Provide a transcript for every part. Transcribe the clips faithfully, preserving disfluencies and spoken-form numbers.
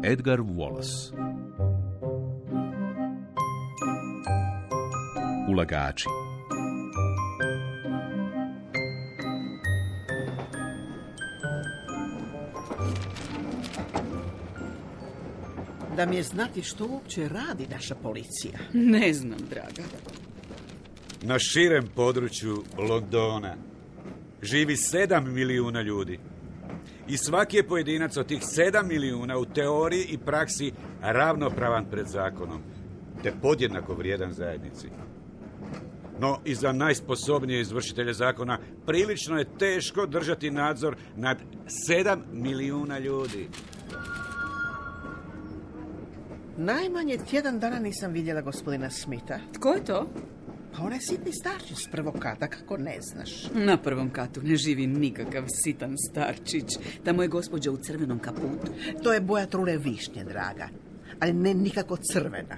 Edgar Wallace. Ulagači. Da mi je znati što uopće radi naša policija. Ne znam, draga. Na širem području Londona živi sedam milijuna ljudi. I svaki je pojedinac od tih sedam milijuna u teoriji i praksi ravnopravan pred zakonom, te podjednako vrijedan zajednici. No, i za najsposobnije izvršitelje zakona prilično je teško držati nadzor nad sedam milijuna ljudi. Najmanje tjedan dana nisam vidjela gospodina Smitha. Tko je to? Pa onaj sitni starčić s prvog kata, kako ne znaš. Na prvom katu ne živi nikakav sitan starčić. Tamo je gospođa u crvenom kaputu. To je boja trule višnje, draga. Ali ne nikako crvena.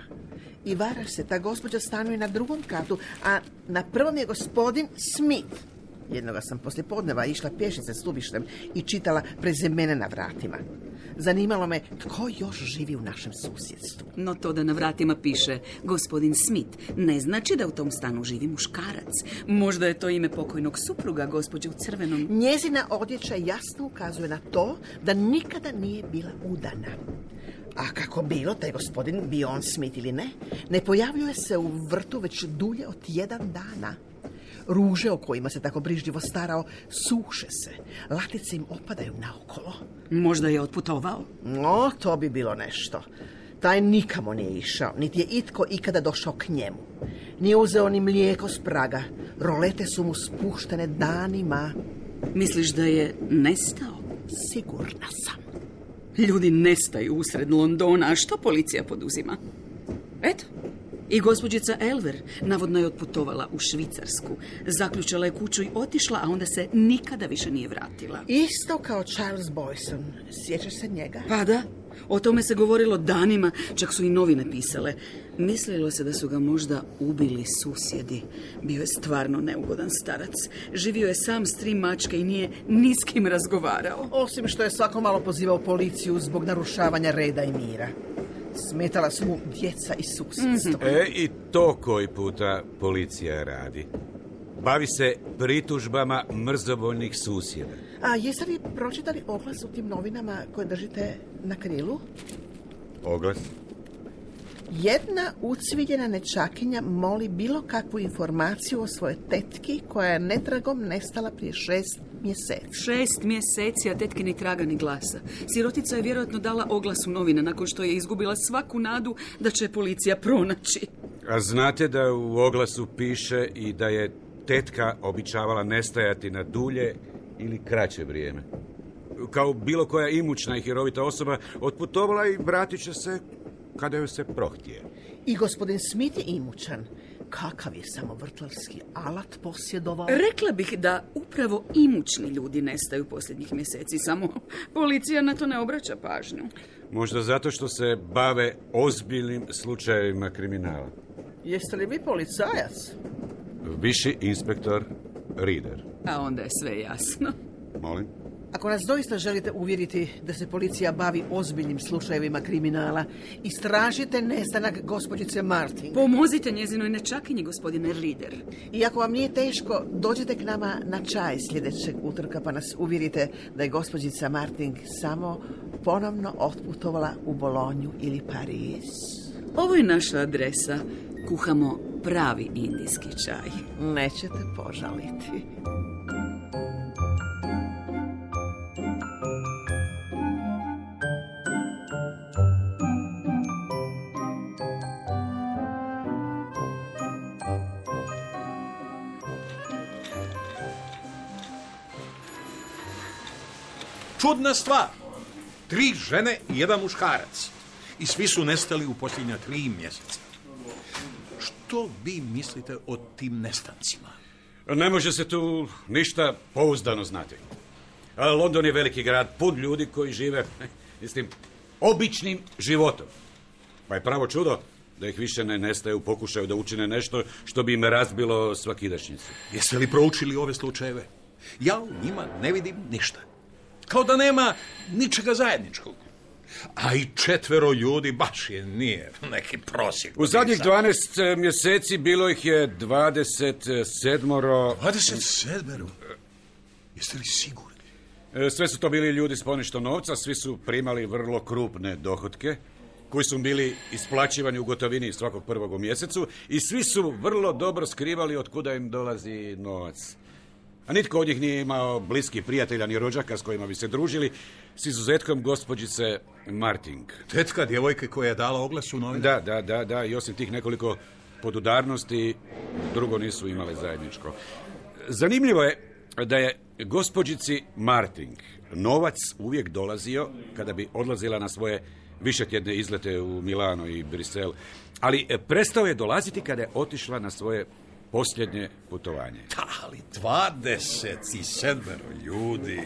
I varaš se, ta gospođa stanuje na drugom katu, a na prvom je gospodin Smith. Jednoga sam poslije podneva išla pješice stubištem i čitala prezimene na vratima. Zanimalo me tko još živi u našem susjedstvu. No to da na vratima piše gospodin Smith ne znači da u tom stanu živi muškarac. Možda je to ime pokojnog supruga, gospođe u crvenom. Njezina odjeća jasno ukazuje na to da nikada nije bila udana. A kako bilo, taj gospodin, bio on Smith ili ne, ne pojavljuje se u vrtu već dulje od jedan dana. Ruže o kojima se tako brižljivo starao suše se, latice im opadaju naokolo. Možda je otputovao? No, to bi bilo nešto. Taj nikamo nije išao, niti je itko ikada došao k njemu. Nije uzeo ni mlijeko s praga, rolete su mu spuštene danima. Misliš da je nestao? Sigurna sam. Ljudi nestaju usred Londona, a što policija poduzima? Eto, i gospođica Elver navodno je otputovala u Švicarsku. Zaključala je kuću i otišla, a onda se nikada više nije vratila. Isto kao Charles Boyson. Sjećaš se njega? Pa da, o tome se govorilo danima, čak su i novine pisale. Mislilo se da su ga možda ubili susjedi. Bio je stvarno neugodan starac. Živio je sam s tri mačke i nije ni s kim razgovarao. Osim što je svako malo pozivao policiju zbog narušavanja reda i mira. Smetala su mu djeca i susjedstvo. Mm-hmm. E, i to koji puta policija radi. Bavi se pritužbama mrzovoljnih susjeda. A jeste li pročitali oglas u tim novinama koje držite na krilu? Oglas? Jedna ucviljena nečakinja moli bilo kakvu informaciju o svojoj tetki koja je netragom nestala prije šest mjeseci. Šest mjeseci, a tetki ni traga ni glasa. Sirotica je vjerojatno dala oglas u novine nakon što je izgubila svaku nadu da će policija pronaći. A znate da u oglasu piše i da je tetka običavala nestajati na dulje ili kraće vrijeme. Kao bilo koja imućna i hirovita osoba otputovala i vratit će se kada joj se prohtije. I gospodin Smith je imućan. Kakav je samo vrtlarski alat posjedovao? Rekla bih da upravo imućni ljudi nestaju posljednjih mjeseci, samo policija na to ne obraća pažnju. Možda zato što se bave ozbiljnim slučajevima kriminala. Jeste li vi policajac? Viši inspektor Reader. A onda je sve jasno. Molim? Ako nas doista želite uvjeriti da se policija bavi ozbiljnim slučajevima kriminala, istražite nestanak gospođice Martin. Pomozite njezinoj nečakinji, gospodine Reader. I ako vam nije teško, dođite k nama na čaj sljedećeg utorka pa nas uvjerite da je gospođica Martin samo ponovno otputovala u Bolonju ili Pariz. Ovo je naša adresa. Kuhamo pravi indijski čaj. Nećete požaliti. Čudna stvar. Tri žene i jedan muškarac. I svi su nestali u posljednja tri mjeseca. Što vi mislite o tim nestancima? Ne može se tu ništa pouzdano znati. London je veliki grad, pun ljudi koji žive, mislim, običnim životom. Pa je pravo čudo da ih više ne nestaje u pokušaju da učine nešto što bi im razbilo svakidašnjicu. Jeste li proučili ove slučajeve? Ja u njima ne vidim ništa. Kao da nema ničega zajedničkog. A i četvero ljudi baš je nije neki prosjek. U zadnjih dvanaest mjeseci bilo ih je dvadeset sedmoro... dvadeset sedmero? Jeste li sigurni? Sve su to bili ljudi s ponešto novca, svi su primali vrlo krupne dohotke, koji su bili isplaćivani u gotovini svakog prvog u mjesecu i svi su vrlo dobro skrivali od kuda im dolazi novac. A nitko od njih nije imao bliskih prijatelja ni rođaka s kojima bi se družili, s izuzetkom gospođice Marting. Tetka djevojke koja je dala oglas u novine? Da, da, da, da, i osim tih nekoliko podudarnosti, drugo nisu imale zajedničko. Zanimljivo je da je gospođici Marting novac uvijek dolazio kada bi odlazila na svoje višetjedne izlete u Milano i Brisel, ali prestao je dolaziti kada je otišla na svoje posljednje putovanje. Da, ali dvadeset sedmero ljudi.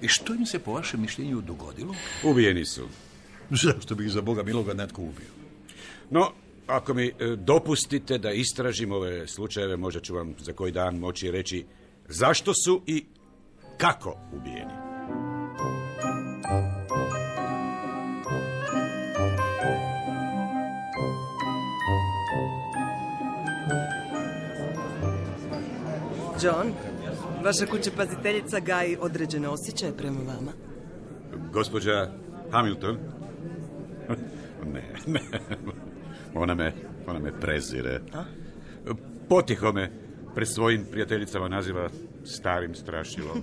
I što im se po vašem mišljenju dogodilo? Ubijeni su. Zašto bi ih za Boga miloga netko ubio? No, ako mi dopustite da istražim ove slučajeve, možda ću vam za koji dan moći reći zašto su i kako ubijeni. John, vaša kućepaziteljica gaji određene osjećaje prema vama. Gospođa Hamilton? Ne, ne. Ona me, ona me prezire. A? Potiho me pred svojim prijateljicama naziva starim strašilom.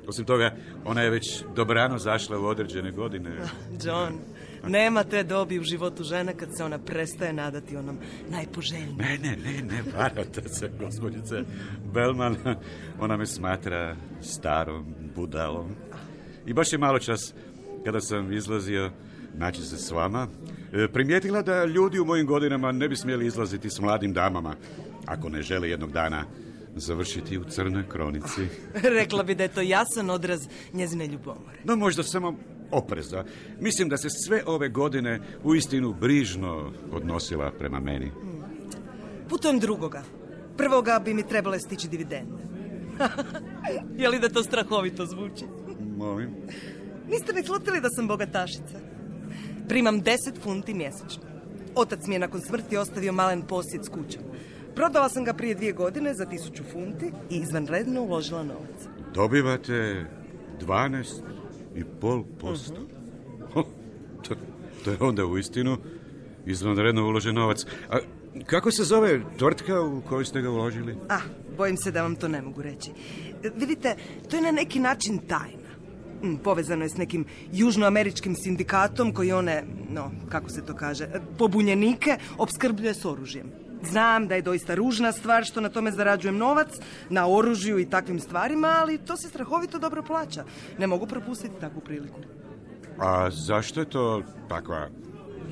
Osim toga, ona je već dobrano zašla u određene godine. John, nema te dobi u životu žene kad se ona prestaje nadati onom najpoželjnijim. Ne, ne, ne, ne, varate se, gospođice Bellman. Ona me smatra starom budalom. I baš je malo čas, kada sam izlazio naći se s vama, primijetila da ljudi u mojim godinama ne bi smjeli izlaziti s mladim damama, ako ne žele jednog dana završiti u crnoj kronici. Rekla bi da je to jasan odraz njezine ljubomore. No, možda samo opreza. Mislim da se sve ove godine uistinu brižno odnosila prema meni. Hmm. Putujem drugoga. Prvoga bi mi trebale stići dividende. Je li da to strahovito zvuči? Molim. Niste mi slutili da sam bogatašica? Primam deset funti mjesečno. Otac mi je nakon smrti ostavio malen posjed s kućom. Prodala sam ga prije dvije godine za tisuću funti i izvanredno uložila novac. Dobivate dvanaest i pol posto. Uh-huh. to, to je onda uistinu izvanredno uložen novac. A kako se zove tvrtka u koju ste ga uložili? Ah, bojim se da vam to ne mogu reći. Vidite, to je na neki način tajna. Povezano je s nekim južnoameričkim sindikatom koji one, no, kako se to kaže, pobunjenike opskrbljuje s oružjem. Znam da je doista ružna stvar što na tome zarađujem novac, na oružju i takvim stvarima, ali to se strahovito dobro plaća. Ne mogu propustiti takvu priliku. A zašto je to takva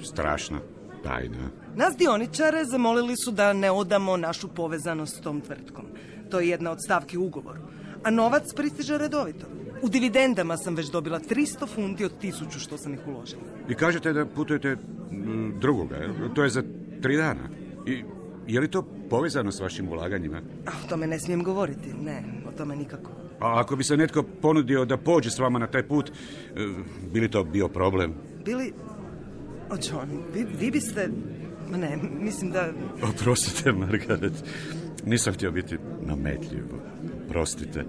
strašna tajna? Nas dioničare zamolili su da ne odamo našu povezanost s tom tvrtkom. To je jedna od stavki u ugovoru. A novac pristiže redovito. U dividendama sam već dobila tristo funti od tisuću što sam ih uložila. I kažete da putujete drugoga, to je za tri dana. I je li to povezano s vašim ulaganjima? A, o tome ne smijem govoriti, ne, o tome nikako. A ako bi se netko ponudio da pođe s vama na taj put, bi li to bio problem? Bili... O, John, vi, vi biste... Ma ne, mislim da... Oprostite, Margaret, nisam htio biti nametljiv. Prostite.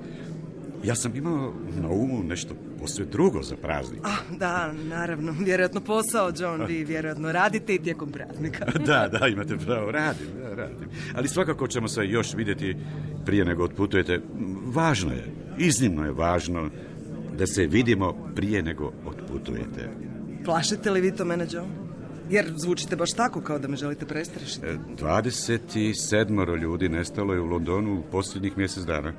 Ja sam imao na umu nešto posve drugo za praznik. Ah, da, naravno. Vjerojatno posao, John. Vi vjerojatno radite i tijekom praznika. Da, da, imate pravo. Radim, da, radim. Ali svakako ćemo se još vidjeti prije nego otputujete. Važno je, iznimno je važno da se vidimo prije nego otputujete. Plašite li vi to mene, John? Jer zvučite baš tako kao da me želite prestrašiti. dvadeset sedam ljudi nestalo je u Londonu u posljednjih mjesec dana.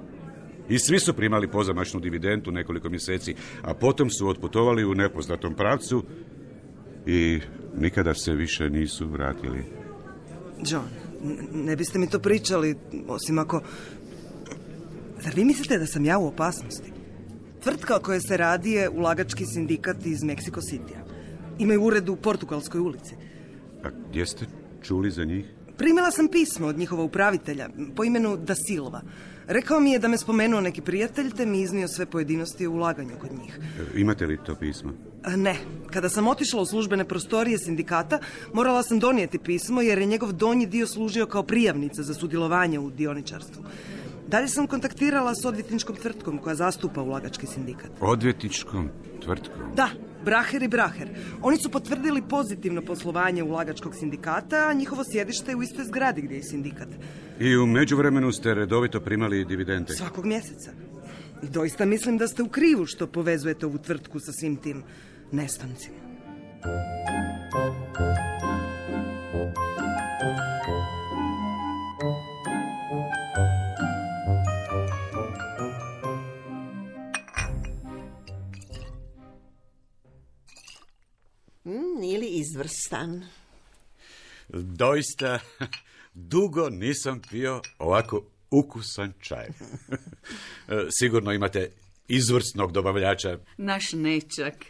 I svi su primali pozamašnu dividendu nekoliko mjeseci, a potom su otputovali u nepoznatom pravcu i nikada se više nisu vratili. John, ne biste mi to pričali, osim ako... Zar vi mislite da sam ja u opasnosti? Tvrtka o kojoj se radi je ulagački sindikat iz Mexico Citya. Imaju ured u Portugalskoj ulici. A gdje ste čuli za njih? Primila sam pismo od njihova upravitelja, po imenu Da Silva. Rekao mi je da me spomenuo neki prijatelj, te mi iznio sve pojedinosti o ulaganju kod njih. Imate li to pismo? A ne, kada sam otišla u službene prostorije sindikata, morala sam donijeti pismo jer je njegov donji dio služio kao prijavnica za sudjelovanje u dioničarstvu. Dalje sam kontaktirala s odvjetničkom tvrtkom koja zastupa ulagački sindikat. Odvjetničkom tvrtkom? Da, Braher i Braher. Oni su potvrdili pozitivno poslovanje ulagačkog sindikata, a njihovo sjedište je u istoj zgradi gdje je sindikat. I u međuvremenu ste redovito primali dividende? Svakog mjeseca. I doista mislim da ste u krivu što povezujete ovu tvrtku sa svim tim nestancima. Mm, nije li izvrstan? Doista, dugo nisam pio ovako ukusan čaj. Sigurno imate izvrsnog dobavljača. Naš nećak.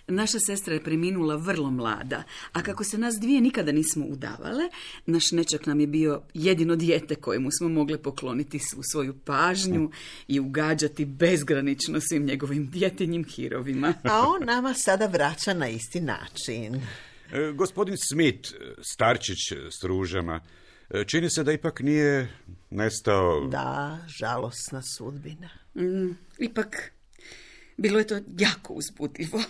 Naša sestra je preminula vrlo mlada, a kako se nas dvije nikada nismo udavale, naš nećak nam je bio jedino dijete kojemu smo mogli pokloniti svu svoju pažnju i ugađati bezgranično svim njegovim djetinjim hirovima. A on nama sada vraća na isti način. E, gospodin Smith, starčić s ružama, čini se da ipak nije nestao... Da, žalosna sudbina. Mm, ipak, bilo je to jako uzbudljivo.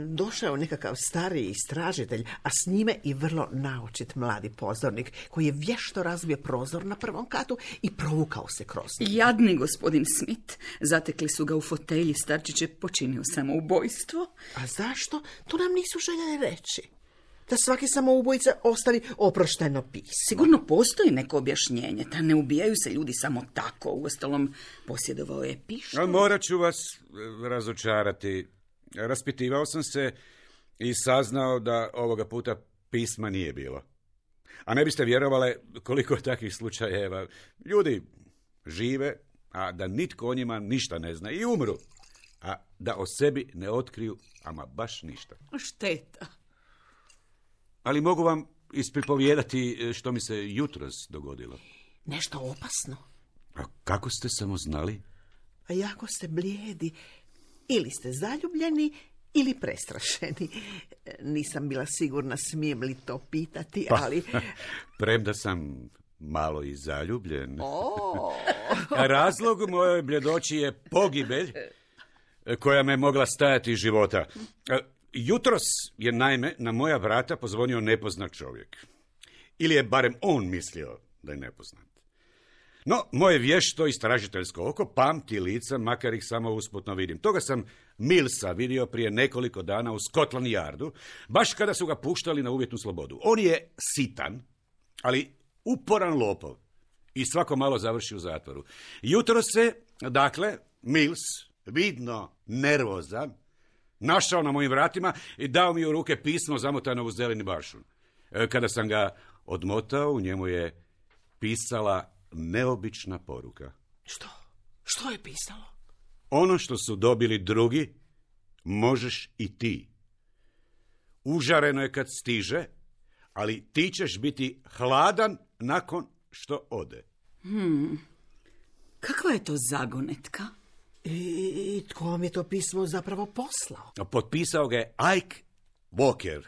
Došao je nekakav stariji istražitelj, a s njime i vrlo naočit mladi pozornik, koji je vješto razbio prozor na prvom katu i provukao se kroz njega. Jadni gospodin Smith. Zatekli su ga u fotelji, starčić je počinio samoubojstvo. A zašto? To nam nisu željeli reći. Da svaki samoubojica ostavi oprošteno pismo. Sigurno postoji neko objašnjenje, da ne ubijaju se ljudi samo tako. Uostalom, posjedovao je pištolj. Morat ću vas razočarati. Raspitivao sam se i saznao da ovoga puta pisma nije bilo. A ne biste vjerovale koliko je takvih slučajeva. Ljudi žive, a da nitko o njima ništa ne zna i umru. A da o sebi ne otkriju ama baš ništa. Šteta. Ali mogu vam ispripovijedati što mi se jutros dogodilo. Nešto opasno. A kako ste samo znali? A jako ste blijedi. Ili ste zaljubljeni, ili prestrašeni. Nisam bila sigurna smijem li to pitati, ali... Pa, premda sam malo i zaljubljen. Oh. Razlog mojoj bljedoći je pogibelj koja me mogla stajati iz života. Jutros je naime na moja vrata pozvonio nepoznat čovjek. Ili je barem on mislio da je nepoznat. No, moje vješto istražiteljsko oko pamti lica, makar ih samo usputno vidim. Toga sam Millsa vidio prije nekoliko dana u Scotland Yardu, baš kada su ga puštali na uvjetnu slobodu. On je sitan, ali uporan lopov i svako malo završi u zatvoru. Jutro se, dakle, Mills, vidno nervozan, našao na mojim vratima i dao mi u ruke pismo zamotano u zeleni bašun. Kada sam ga odmotao, u njemu je pisala neobična poruka. Što? Što je pisalo? Ono što su dobili drugi, možeš i ti. Užareno je kad stiže, ali ti ćeš biti hladan nakon što ode. Hmm. Kakva je to zagonetka? I, i tko vam je to pismo zapravo poslao? Potpisao ga je Ike Walker,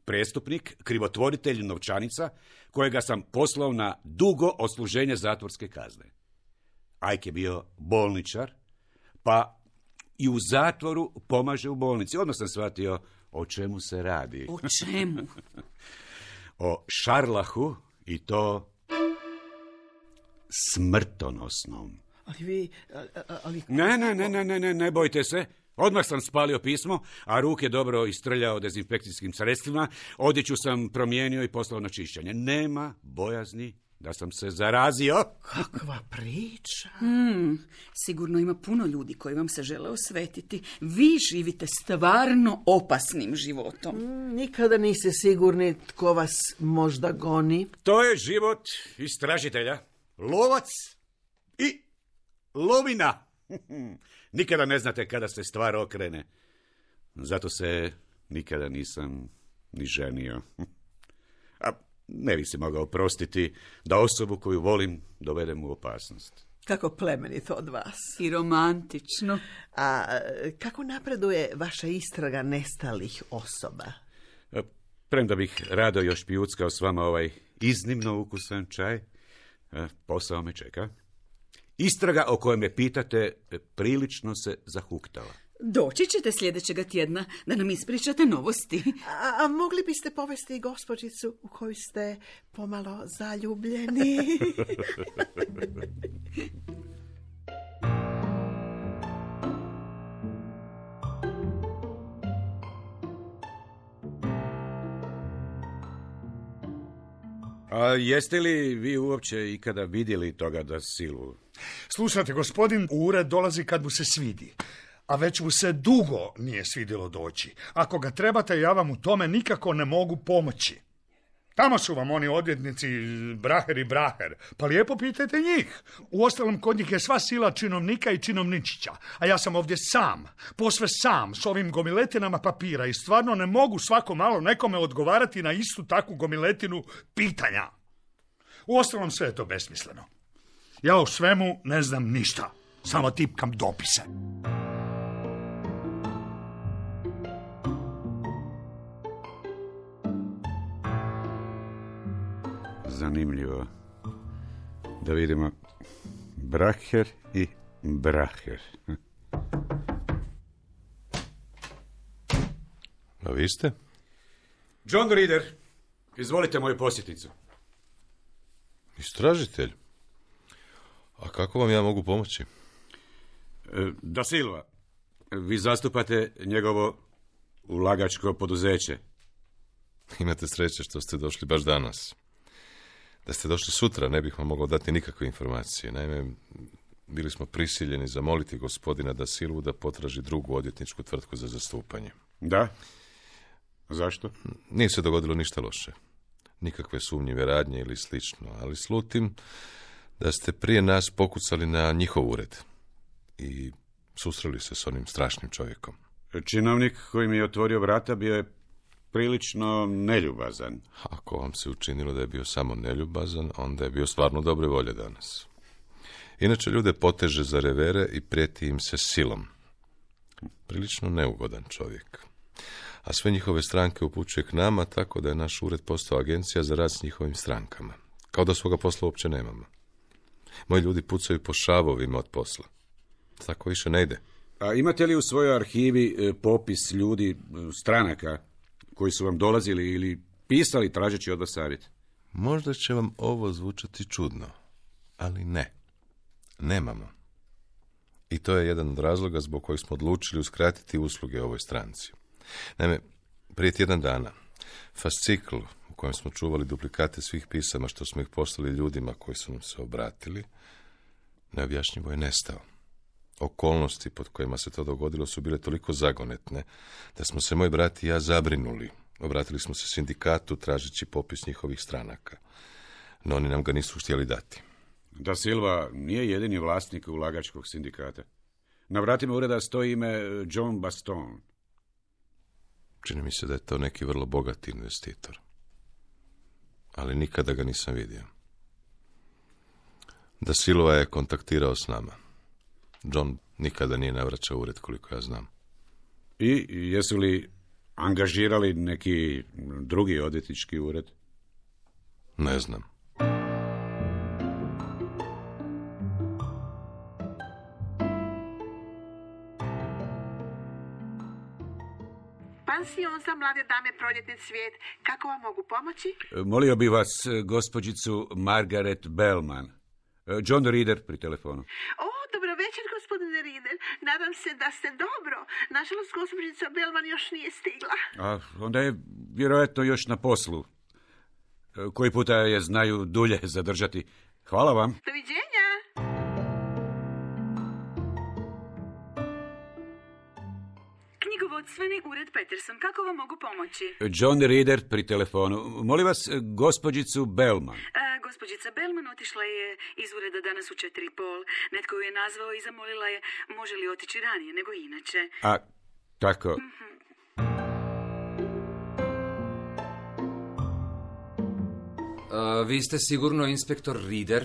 prestupnik, krivotvoritelj novčanica, kojega sam poslao na dugo odsluženje zatvorske kazne. Ike je bio bolničar, pa i u zatvoru pomaže u bolnici. Odmah sam shvatio o čemu se radi. O čemu? O šarlahu i to smrtonosnom. Ali vi... Ali... Ne, ne, ne, ne, ne, ne, ne bojte se. Odmah sam spalio pismo, a ruke dobro istrljao dezinfekcijskim sredstvima. Odjeću sam promijenio i poslao na čišćenje. Nema bojazni da sam se zarazio. Kakva priča. Hmm, sigurno ima puno ljudi koji vam se žele osvetiti. Vi živite stvarno opasnim životom. Mm, nikada niste sigurni tko vas možda goni. To je život istražitelja. Lovac i lovina. Nikada ne znate kada se stvar okrene. Zato se nikada nisam ni ženio. A ne bi se mogao oprostiti da osobu koju volim dovedem u opasnost. Kako plemenito od vas. I romantično. A kako napreduje vaša istraga nestalih osoba? Premda bih rado još pijuckao s vama ovaj iznimno ukusan čaj, posao me čeka. Istraga o kojoj me pitate prilično se zahuktala. Doći ćete sljedećega tjedna da nam ispričate novosti. A, a mogli biste povesti gospođicu u koju ste pomalo zaljubljeni? A jeste li vi uopće ikada vidjeli toga da Silvu? Slušajte, gospodin u ured dolazi kad mu se svidi. A već mu se dugo nije svidjelo doći. Ako ga trebate, ja vam u tome nikako ne mogu pomoći. Tamo su vam oni odvjetnici Braher i Braher, pa lijepo pitajte njih. Uostalom, kod njih je sva sila činovnika i činovničića, a ja sam ovdje sam, posve sam, s ovim gomiletinama papira i stvarno ne mogu svako malo nekome odgovarati na istu takvu gomiletinu pitanja. Uostalom, sve je to besmisleno. Ja o svemu ne znam ništa, samo tipkam dopise. Zanimljivo. Da vidimo. Braher i Braher. A vi ste? John Reader, izvolite moju posjetnicu. Istražitelj? A kako vam ja mogu pomoći? Da Silva, vi zastupate njegovo ulagačko poduzeće. Imate sreće što ste došli baš danas. Da ste došli sutra, ne bih vam mogao dati nikakve informacije. Naime, bili smo prisiljeni zamoliti gospodina Da Silvu da potraži drugu odvjetničku tvrtku za zastupanje. Da? Zašto? Nije se dogodilo ništa loše. Nikakve sumnjive radnje ili slično, ali slutim da ste prije nas pokucali na njihov ured i susreli se s onim strašnim čovjekom. Činovnik koji mi je otvorio vrata bio je prilično neljubazan. Ako vam se učinilo da je bio samo neljubazan, onda je bio stvarno dobre volje danas. Inače, ljude poteže za revere i prijeti im se silom. Prilično neugodan čovjek. A sve njihove stranke upućuje k nama, tako da je naš ured postao agencija za rad s njihovim strankama. Kao da svoga posla uopće nemamo. Moji ljudi pucaju po šavovima od posla. Tako više ne ide. A imate li u svojoj arhivi popis ljudi, stranaka, koji su vam dolazili ili pisali tražeći od vas savjet? Možda će vam ovo zvučati čudno, ali ne. Nemamo. I to je jedan od razloga zbog kojeg smo odlučili uskratiti usluge ovoj stranci. Naime, prije tjedan dana, fascikl u kojem smo čuvali duplikate svih pisama što smo ih poslali ljudima koji su nam se obratili, neobjašnjivo je nestao. Okolnosti pod kojima se to dogodilo su bile toliko zagonetne da smo se moj brat i ja zabrinuli. Obratili smo se sindikatu tražeći popis njihovih stranaka, no oni nam ga nisu htjeli dati. Da Silva nije jedini vlasnik ulagačkog sindikata. Na vratima ureda stoji ime John Baston. Čini mi se da je to neki vrlo bogati investitor. Ali nikada ga nisam vidio. Da Silva je kontaktirao s nama. John nikada nije navraćao ured, koliko ja znam. I jesu li angažirali neki drugi odvjetnički ured? Ne znam. Pansion za mlade dame Proljetni cvijet. Kako vam mogu pomoći? Molio bi vas gospođicu Margaret Bellman. John Reader pri telefonu. O, dobro večer, gospodine Reader. Nadam se da ste dobro. Nažalost, gospođica Bellman još nije stigla. A onda je vjerojatno još na poslu. Koji puta je znaju dulje zadržati. Hvala vam. Doviđenja. Knjigovodstveni ured Peterson. Kako vam mogu pomoći? John Reader pri telefonu. Molim vas, gospođicu Bellman. A, gospođica Bellman otišla je iz ureda danas u četiri i pol. Netko ju je nazvao i zamolila je može li otići ranije nego inače. A, tako. Mm-hmm. A, vi ste sigurno inspektor Reader?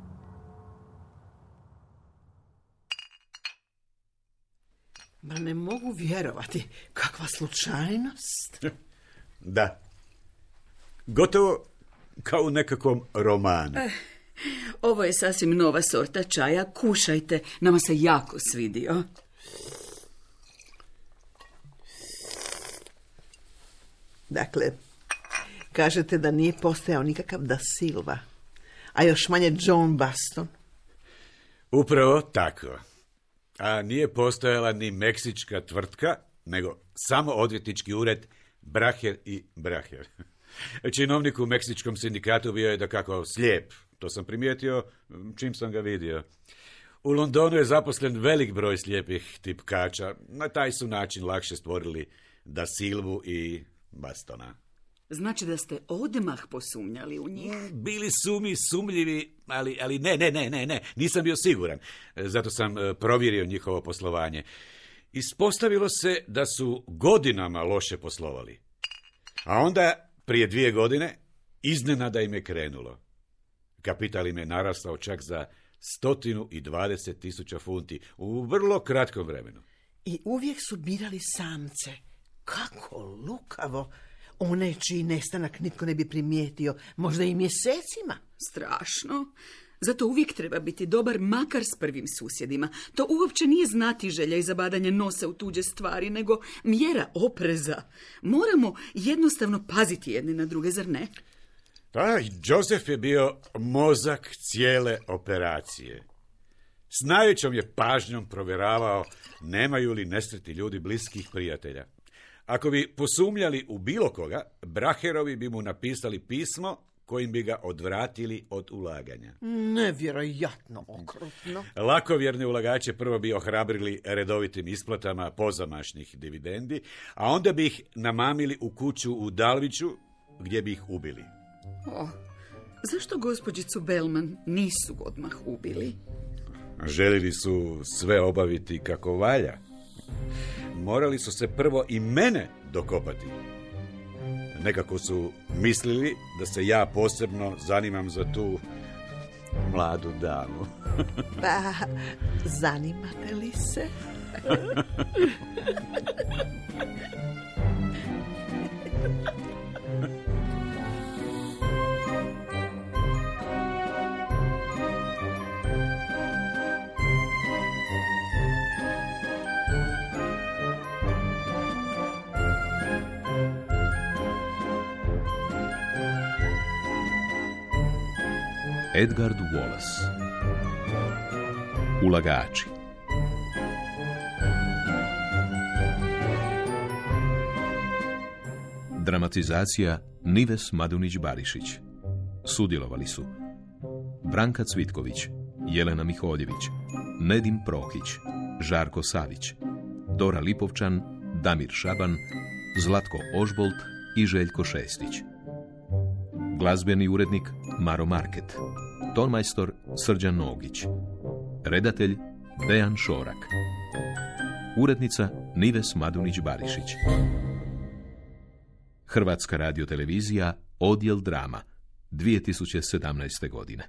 Ma ne mogu vjerovati. Kakva slučajnost. Da. Gotovo kao u nekakvom romanu. Eh, ovo je sasvim nova sorta čaja. Kušajte. Nama se jako svidio. Dakle, kažete da nije postojao nikakav Da Silva, a još manje John Baston. Upravo tako. A nije postojala ni meksička tvrtka, nego samo odvjetnički ured Braher i Braher. Činovnik u meksičkom sindikatu bio je dakako slijep. To sam primijetio čim sam ga vidio. U Londonu je zaposlen velik broj slijepih tipkača. Na taj su način lakše stvorili Da Silvu i Bastona. Znači da ste odmah posumnjali u njih? Bili su mi sumljivi, ali, ali ne, ne, ne, ne, ne, nisam bio siguran. Zato sam provjerio njihovo poslovanje. Ispostavilo se da su godinama loše poslovali. A onda, prije dvije godine, iznenada im je krenulo. Kapital im je narastao čak za stotinu i dvadeset tisuća funti u vrlo kratkom vremenu. I uvijek su birali samce. Kako lukavo. One čiji nestanak nitko ne bi primijetio, možda i mjesecima. Strašno. Zato uvijek treba biti dobar, makar s prvim susjedima. To uopće nije znatiželja i zabadanje nosa u tuđe stvari, nego mjera opreza. Moramo jednostavno paziti jedni na druge, zar ne? Da, Joseph je bio mozak cijele operacije. S najvećom je pažnjom provjeravao nemaju li nesretni ljudi bliskih prijatelja. Ako bi posumnjali u bilo koga, Braherovi bi mu napisali pismo kojim bi ga odvratili od ulaganja. Nevjerojatno okrutno. Lakovjerne ulagače prvo bi ohrabrili redovitim isplatama pozamašnih dividendi, a onda bi ih namamili u kuću u Dalviću, gdje bi ih ubili. O, zašto gospođicu Bellman nisu odmah ubili? Željeli su sve obaviti kako valja. Morali su se prvo i mene dokopati. Nekako su mislili da se ja posebno zanimam za tu mladu damu. Pa, zanimate li se? Edgar Wallace. Ulagači. Dramatizacija Nives Madunić-Barišić. Sudjelovali su Branka Cvitković, Jelena Miholjević, Nedim Prohić, Žarko Savić, Dora Lipovčan, Damir Šaban, Zlatko Ožbolt i Željko Šestić. Glazbeni urednik Maro Market. Tonmajstor Srđan Nogić. Redatelj Dejan Šorak. Urednica Nives Madunić-Barišić. Hrvatska radiotelevizija, odjel drama, dvije tisuće sedamnaeste godine.